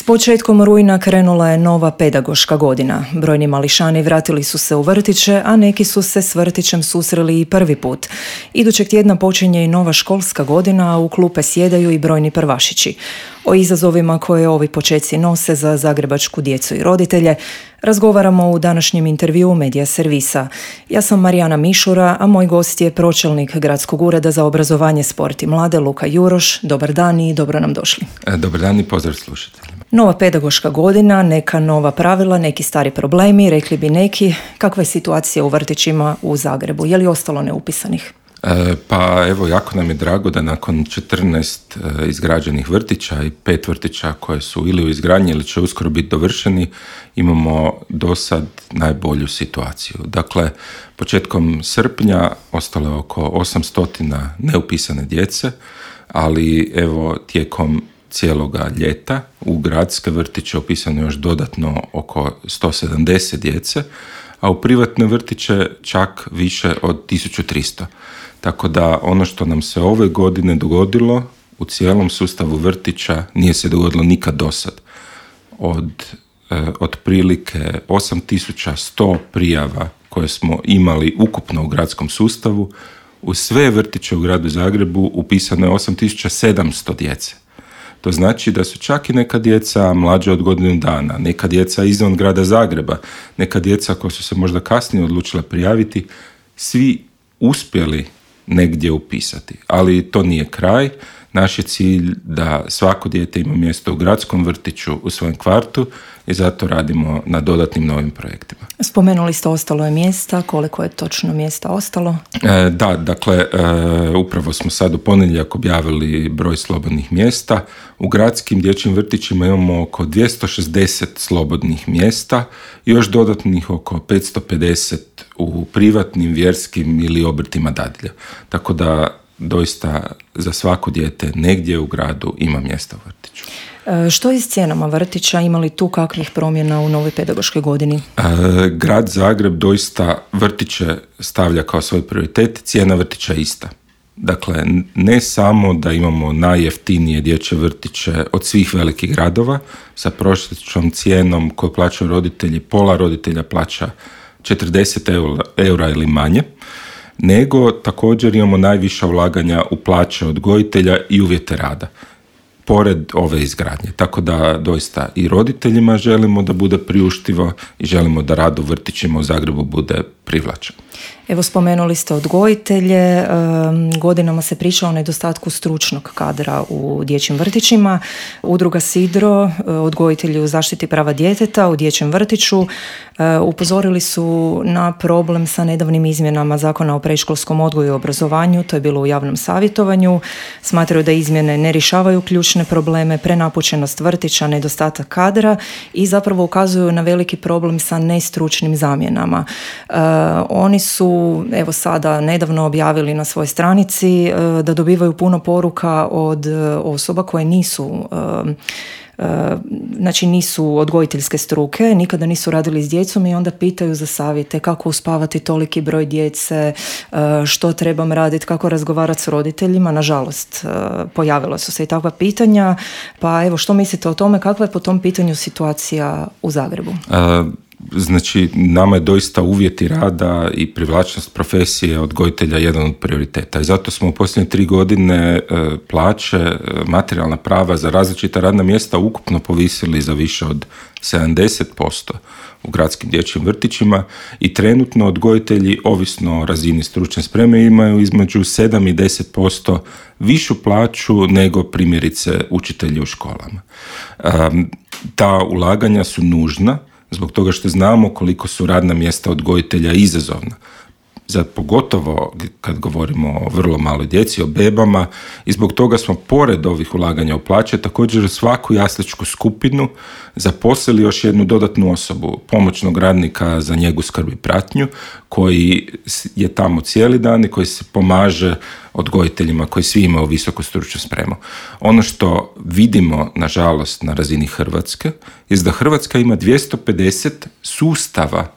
Početkom rujna krenula je nova pedagoška godina. Brojni mališani vratili su se u vrtiće, a neki su se s vrtićem susreli i prvi put. Idućeg tjedna počinje i nova školska godina, a u klupe sjedaju i brojni prvašići. O izazovima koje ovi počeci nose za zagrebačku djecu i roditelje razgovaramo u današnjem intervjuu Medija servisa. Ja sam Marijana Mišura, a moj gost je pročelnik Gradskog ureda za obrazovanje, sport i mlade Luka Juroš. Dobar dan i dobro nam došli. Dobar dan i pozdrav slušateljima. Nova pedagoška godina, neka nova pravila, neki stari problemi, rekli bi neki. Kakva je situacija u vrtićima u Zagrebu? Je li ostalo neupisanih? Pa evo, jako nam je drago da nakon 14 izgrađenih vrtića i 5 vrtića koje su ili u izgradnji ili će uskoro biti dovršeni, imamo do sad najbolju situaciju. Dakle, početkom srpnja ostalo je oko 800 neupisane djece, ali evo tijekom cijeloga ljeta u gradske vrtiće upisano još dodatno oko 170 djece, a u privatne vrtiće čak više od 1300. Tako da ono što nam se ove godine dogodilo u cijelom sustavu vrtića nije se dogodilo nikad dosad. Od otprilike 8100 prijava koje smo imali ukupno u gradskom sustavu, u sve vrtiće u gradu Zagrebu upisano je 8700 djece. To znači da su čak i neka djeca mlađa od godinu dana, neka djeca izvan grada Zagreba, neka djeca koja su se možda kasnije odlučila prijaviti, svi uspjeli negdje upisati. Ali to nije kraj. Naš je cilj da svako dijete ima mjesto u gradskom vrtiću u svojem kvartu i zato radimo na dodatnim novim projektima. Spomenuli ste ostalo je mjesta, koliko je točno mjesta ostalo? Upravo smo sad u ponedjeljak objavili broj slobodnih mjesta. U gradskim dječjim vrtićima imamo oko 260 slobodnih mjesta i još dodatnih oko 550 u privatnim, vjerskim ili obrtima dadilja. Tako da doista za svako dijete negdje u gradu ima mjesta u vrtiću. Što je s cijenama vrtića? Ima li tu kakvih promjena u novoj pedagoškoj godini? Grad Zagreb doista vrtiće stavlja kao svoj prioritet, cijena vrtića je ista. Dakle, ne samo da imamo najjeftinije dječje vrtiće od svih velikih gradova, sa prosječnom cijenom koju plaćaju roditelji, pola roditelja plaća 40 eura ili manje, nego također imamo najviša ulaganja u plaće odgojitelja i uvjete rada, pored ove izgradnje. Tako da doista i roditeljima želimo da bude priuštivo i želimo da rad u vrtićima u Zagrebu bude privlačan. Evo, spomenuli ste odgojitelje, godinama se priča o nedostatku stručnog kadra u dječjim vrtićima. Udruga Sidro, odgojitelji u zaštiti prava djeteta u dječjem vrtiću, upozorili su na problem sa nedavnim izmjenama Zakona o predškolskom odgoju i obrazovanju, to je bilo u javnom savjetovanju. Smatraju da izmjene ne rješavaju ključne probleme, prenapučenost vrtića, nedostatak kadra i zapravo ukazuju na veliki problem sa nestručnim zamjenama. Oni su evo sada nedavno objavili na svojoj stranici da dobivaju puno poruka od osoba koje nisu odgojiteljske struke, nikada nisu radili s djecom i onda pitaju za savjete kako uspavati toliki broj djece, što trebam raditi, kako razgovarati s roditeljima. Nažalost, pojavila su se i takva pitanja, pa evo, što mislite o tome, kakva je po tom pitanju situacija u Zagrebu? Znači, nama je doista uvjeti rada i privlačnost profesije odgojitelja jedan od prioriteta i zato smo u posljednje 3 godine plaće, materijalna prava za različita radna mjesta ukupno povisili za više od 70% u gradskim dječjim vrtićima i trenutno odgojitelji, ovisno o razini stručne spreme, imaju između 7 i 10% višu plaću nego primjerice učitelji u školama. Ta ulaganja su nužna zbog toga što znamo koliko su radna mjesta odgojitelja izazovna. Pogotovo kad govorimo o vrlo maloj djeci, o bebama, i zbog toga smo pored ovih ulaganja u plaće također u svaku jasličku skupinu zaposlili još jednu dodatnu osobu, pomoćnog radnika za njegu, skrb i pratnju, koji je tamo cijeli dan i koji se pomaže odgojiteljima koji svi imaju visoku stručnu spremu. Ono što vidimo, nažalost, na razini Hrvatske je da Hrvatska ima 250 sustava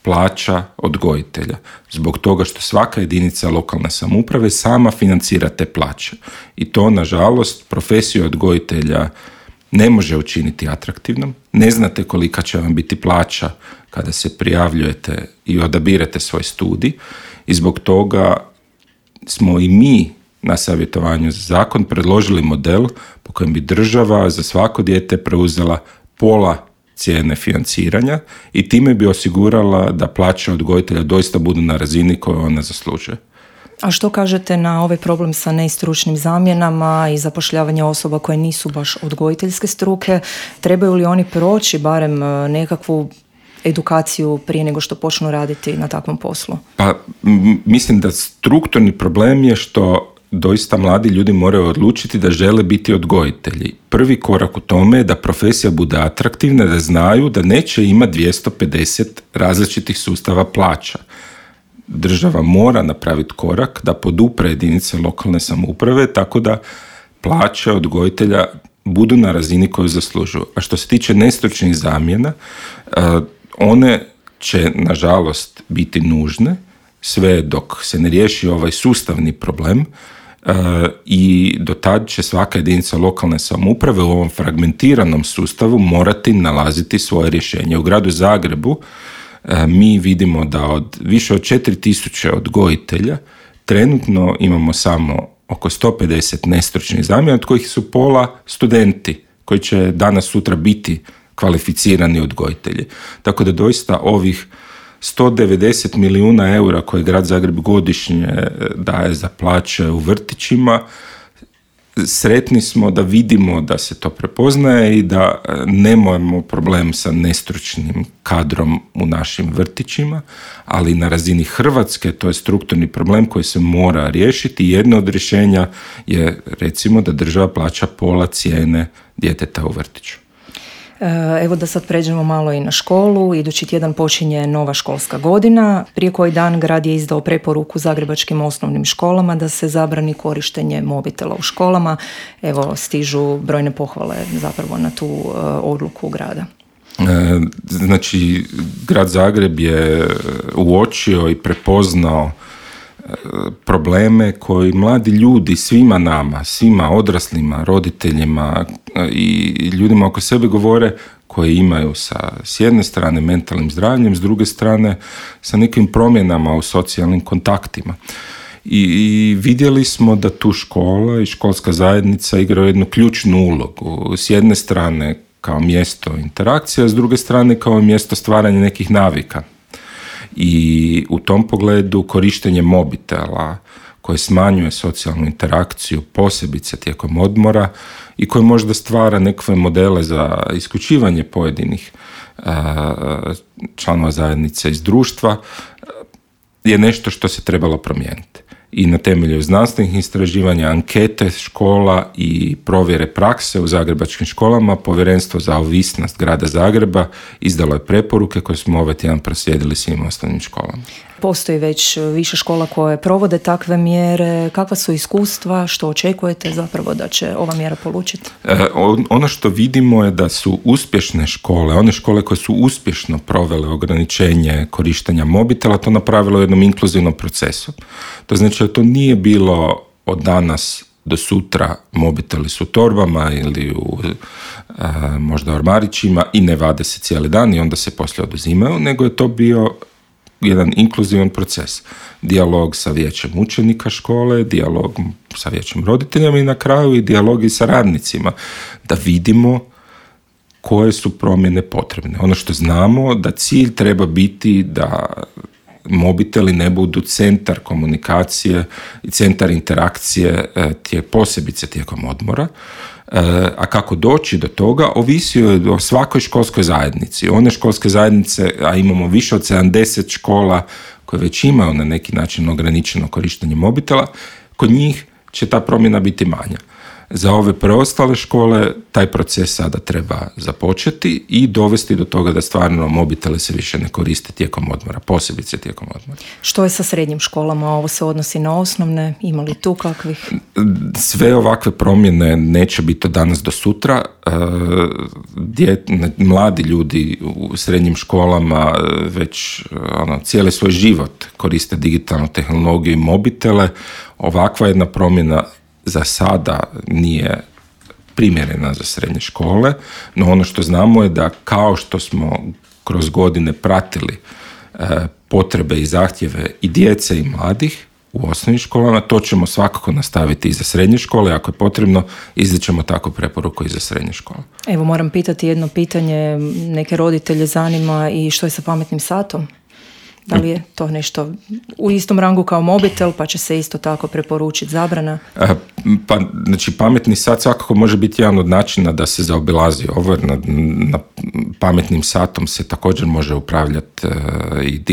plaća odgojitelja, zbog toga što svaka jedinica lokalne samouprave sama financira te plaće. I to, nažalost, profesiju odgojitelja ne može učiniti atraktivnom, ne znate kolika će vam biti plaća kada se prijavljujete i odabirete svoj studij i zbog toga smo i mi na savjetovanju za zakon predložili model po kojem bi država za svako dijete preuzela pola cijene financiranja i time bi osigurala da plaće odgojitelja doista budu na razini koju ona zaslužuje. A što kažete na ovaj problem sa nestručnim zamjenama i zapošljavanje osoba koje nisu baš odgojiteljske struke? Trebaju li oni proći barem nekakvu edukaciju prije nego što počnu raditi na takvom poslu? Pa mislim da strukturni problem je što doista mladi ljudi moraju odlučiti da žele biti odgojitelji. Prvi korak u tome je da profesija bude atraktivna, da znaju da neće imati 250 različitih sustava plaća. Država mora napraviti korak da podupre jedinice lokalne samouprave tako da plaće odgojitelja budu na razini koju zaslužuju. A što se tiče nestručnih zamjena, one će nažalost biti nužne sve dok se ne riješi ovaj sustavni problem i do tad će svaka jedinica lokalne samouprave u ovom fragmentiranom sustavu morati nalaziti svoje rješenje. U gradu Zagrebu mi vidimo da od više od 4000 odgojitelja trenutno imamo samo oko 150 nestručnih zamjena, od kojih su pola studenti koji će danas sutra biti kvalificirani odgojitelji. Tako da doista ovih 190 milijuna eura koje grad Zagreb godišnje daje za plaće u vrtićima, sretni smo da vidimo da se to prepoznaje i da nemamo problem sa nestručnim kadrom u našim vrtićima, ali na razini Hrvatske to je strukturni problem koji se mora riješiti. Jedno od rješenja je recimo da država plaća pola cijene djeteta u vrtiću. Evo da sad pređemo malo i na školu. Idući tjedan počinje nova školska godina. Prije koji dan grad je izdao preporuku zagrebačkim osnovnim školama da se zabrani korištenje mobitela u školama. Evo, stižu brojne pohvale zapravo na tu odluku grada. Znači, grad Zagreb je uočio i prepoznao probleme koji mladi ljudi, svima nama, svima odraslima, roditeljima i ljudima oko sebe govore, koji imaju s jedne strane mentalnim zdravljem, s druge strane sa nekim promjenama u socijalnim kontaktima. I vidjeli smo da tu škola i školska zajednica igraju jednu ključnu ulogu. S jedne strane kao mjesto interakcija, s druge strane kao mjesto stvaranja nekih navika. I u tom pogledu korištenje mobitela koje smanjuje socijalnu interakciju, posebice tijekom odmora i koje možda stvara nekakve modele za isključivanje pojedinih članova zajednice iz društva, je nešto što se trebalo promijeniti. I na temelju znanstvenih istraživanja, ankete škola i provjere prakse u zagrebačkim školama, Povjerenstvo za ovisnost grada Zagreba izdalo je preporuke koje smo ovaj tjedan proslijedili svim osnovnim školama. Postoji već više škola koje provode takve mjere. Kakva su iskustva? Što očekujete zapravo da će ova mjera polučiti? Ono što vidimo je da su uspješne škole, one škole koje su uspješno provele ograničenje korištenja mobitela, to napravilo u jednom inkluzivnom procesu. To znači da to nije bilo od danas do sutra mobiteli su u torbama ili u možda ormarićima i ne vade se cijeli dan i onda se poslije oduzimaju, nego je to bio jedan inkluzivan proces. Dijalog sa vijećem učenika škole, dijalog sa vijećem roditeljama i na kraju i dijalog i sa radnicima, da vidimo koje su promjene potrebne. Ono što znamo da cilj treba biti da mobiteli ne budu centar komunikacije i centar interakcije posebice tijekom odmora, a kako doći do toga ovisi o svakoj školskoj zajednici. One školske zajednice, a imamo više od 70 škola koje već imaju na neki način ograničeno korištenje mobitela, kod njih će ta promjena biti manja. Za ove preostale škole taj proces sada treba započeti i dovesti do toga da stvarno mobitele se više ne koriste tijekom odmora, posebice tijekom odmora. Što je sa srednjim školama? Ovo se odnosi na osnovne? Ima li tu kakvih? Sve ovakve promjene neće biti od danas do sutra. Mladi ljudi u srednjim školama već cijeli svoj život koriste digitalnu tehnologiju i mobitele. Ovakva jedna promjena za sada nije primjerena za srednje škole, no ono što znamo je da kao što smo kroz godine pratili potrebe i zahtjeve i djece i mladih u osnovnim školama, to ćemo svakako nastaviti i za srednje škole, ako je potrebno, izdićemo tako preporuku i za srednje škole. Evo, moram pitati jedno pitanje, neke roditelje zanima i što je sa pametnim satom? Da li je to nešto u istom rangu kao mobitel, pa će se isto tako preporučiti zabrana? Pa, znači, pametni sat svakako može biti jedan od načina da se zaobilazi ovo, jer na pametnim satom se također može upravljati i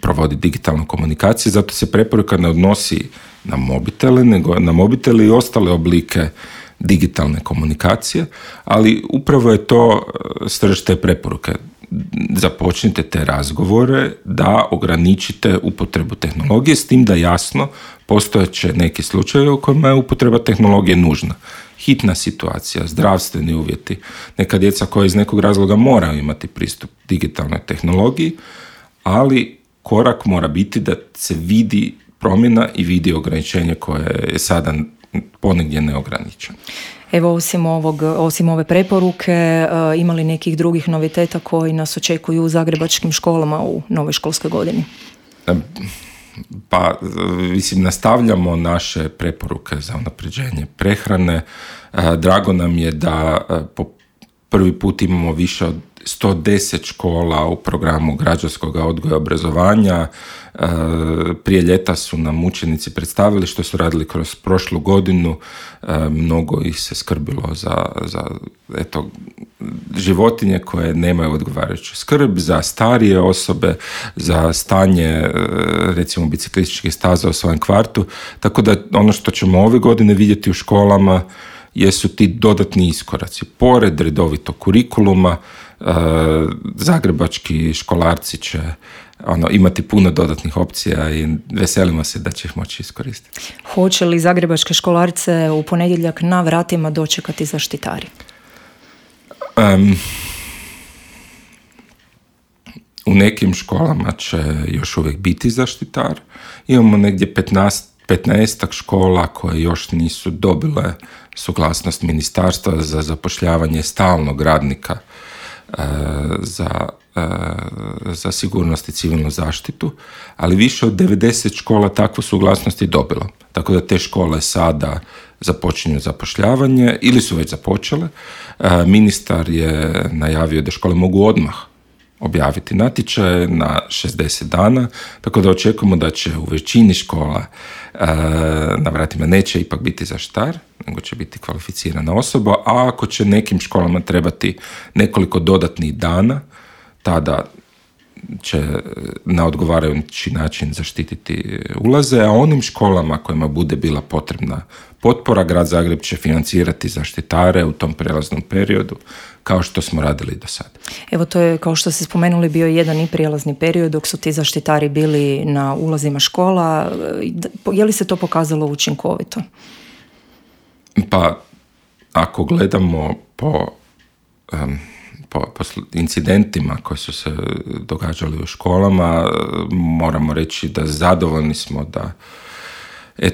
provoditi digitalna komunikacija, zato se preporuka ne odnosi na mobitele, nego na mobitele i ostale oblike digitalne komunikacije, ali upravo je to srž te preporuke. Započnite te razgovore da ograničite upotrebu tehnologije, s tim da jasno postojeće neki slučajevi u kojima je upotreba tehnologije nužna. Hitna situacija, zdravstveni uvjeti, neka djeca koja iz nekog razloga moraju imati pristup digitalnoj tehnologiji, ali korak mora biti da se vidi promjena i vidi ograničenje koje je sada ponegdje neograničeno. Evo, osim ove preporuke, ima li nekih drugih noviteta koji nas očekuju u zagrebačkim školama u novoj školskoj godini? Pa, mislim, nastavljamo naše preporuke za unapređenje prehrane. Drago nam je da po prvi put imamo više od 110 škola u programu građanskog odgoja i obrazovanja. Prije ljeta su nam učenici predstavili što su radili kroz prošlu godinu. Mnogo ih se skrbilo za životinje koje nemaju odgovarajuću skrb, za starije osobe, za stanje recimo biciklističkih staza u svojem kvartu. Tako da ono što ćemo ove godine vidjeti u školama jesu ti dodatni iskoraci. Pored redovitog kurikuluma, zagrebački školarci će imati puno dodatnih opcija i veselimo se da će ih moći iskoristiti. Hoće li zagrebačke školarce u ponedjeljak na vratima dočekati zaštitari? U nekim školama će još uvijek biti zaštitar. Imamo negdje 15 škola koje još nisu dobile suglasnost ministarstva za zapošljavanje stalnog radnika za sigurnost i civilnu zaštitu, ali više od 90 škola takvu suglasnost je dobilo. Tako da te škole sada započinju zapošljavanje ili su već započele. Ministar je najavio da škole mogu odmah objaviti natječaje na 60 dana, tako da očekujemo da će u većini škola na vratima neće ipak biti zaštitar, nego će biti kvalificirana osoba, a ako će nekim školama trebati nekoliko dodatnih dana, tada će na odgovarajući način zaštititi ulaze, a onim školama kojima bude bila potrebna potpora, Grad Zagreb će financirati zaštitare u tom prijelaznom periodu, kao što smo radili do sada. Evo, to je, kao što ste spomenuli, bio jedan i prijelazni period dok su ti zaštitari bili na ulazima škola. Je li se to pokazalo učinkovito? Pa, ako gledamo po incidentima koji su se događali u školama, moramo reći da zadovoljni smo da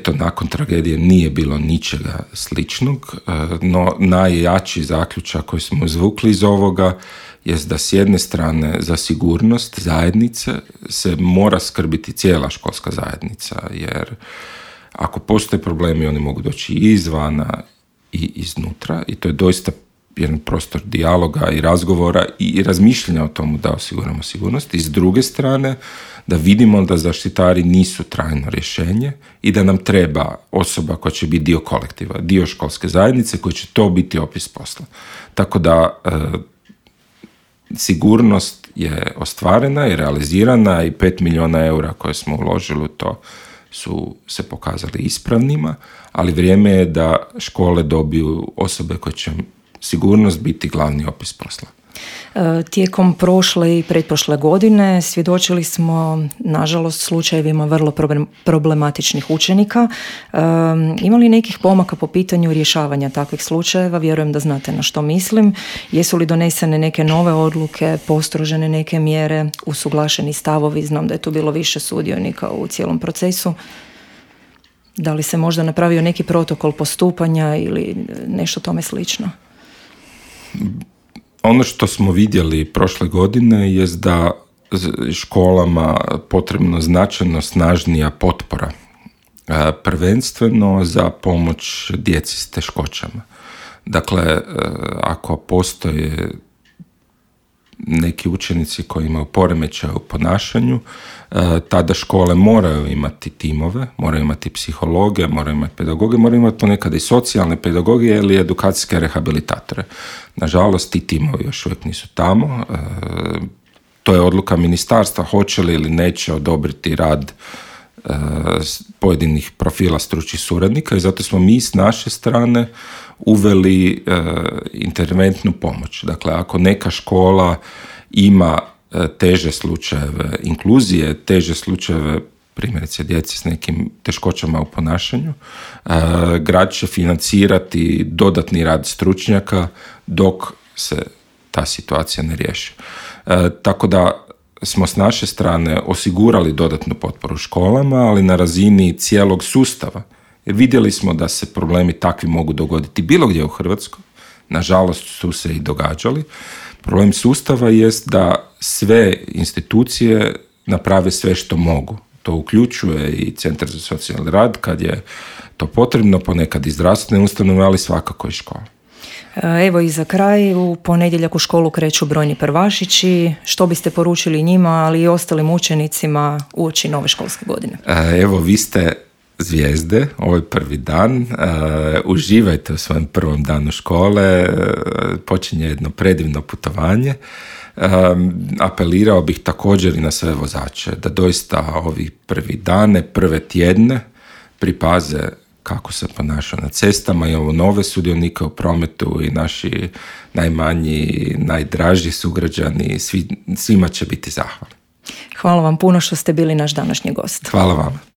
nakon tragedije nije bilo ničega sličnog, no najjači zaključak koji smo izvukli iz ovoga jest da s jedne strane za sigurnost zajednice se mora skrbiti cijela školska zajednica, jer ako postoje problemi oni mogu doći i izvana i iznutra i to je doista jedan prostor dijaloga i razgovora i razmišljanja o tomu da osiguramo sigurnost. I s druge strane da vidimo da zaštitari nisu trajno rješenje i da nam treba osoba koja će biti dio kolektiva, dio školske zajednice koji će to biti opis posla. Tako da sigurnost je ostvarena i realizirana i 5 milijuna eura koje smo uložili u to su se pokazali ispravnima, ali vrijeme je da škole dobiju osobe koje će sigurnost biti glavni opis posla. Tijekom prošle i pretprošle godine svjedočili smo, nažalost, slučajevima vrlo problematičnih učenika. Ima li nekih pomaka po pitanju rješavanja takvih slučajeva? Vjerujem da znate na što mislim. Jesu li donesene neke nove odluke, postrožene neke mjere, usuglašeni stavovi? Znam da je tu bilo više sudionika u cijelom procesu. Da li se možda napravio neki protokol postupanja ili nešto tome slično? Ono što smo vidjeli prošle godine je da školama potrebno značajno snažnija potpora, prvenstveno za pomoć djeci s teškoćama. Dakle, ako postoje neki učenici koji imaju poremećaj u ponašanju, tada škole moraju imati timove, moraju imati psihologe, moraju imati pedagoge, moraju imati ponekad i socijalne pedagoge ili edukacijske rehabilitatore. Nažalost, ti timovi još uvijek nisu tamo. To je odluka ministarstva, hoće li ili neće odobriti rad pojedinih profila stručnih suradnika i zato smo mi s naše strane uveli interventnu pomoć. Dakle, ako neka škola ima teže slučajeve inkluzije, teže slučajeve primjerice djeci s nekim teškoćama u ponašanju, grad će financirati dodatni rad stručnjaka dok se ta situacija ne riješi. Tako da smo s naše strane osigurali dodatnu potporu školama, ali na razini cijelog sustava. Jer vidjeli smo da se problemi takvi mogu dogoditi bilo gdje u Hrvatskoj. Nažalost su se i događali. Problem sustava jest da sve institucije naprave sve što mogu. To uključuje i Centar za socijalni rad kad je to potrebno, ponekad i zdravstvene ustanove, ali svakako i škola. Evo i za kraj, u ponedjeljak u školu kreću brojni prvašići. Što biste poručili njima, ali i ostalim učenicima uoči nove školske godine? Evo, vi ste zvijezde, ovo je prvi dan, uživajte u svojem prvom danu škole, počinje jedno predivno putovanje. Apelirao bih također i na sve vozače da doista ovi prvi dane, prve tjedne pripaze kako se ponaša na cestama i ovo nove sudionike u prometu i naši najmanji, najdraži sugrađani, svima će biti zahvalni. Hvala vam puno što ste bili naš današnji gost. Hvala vam.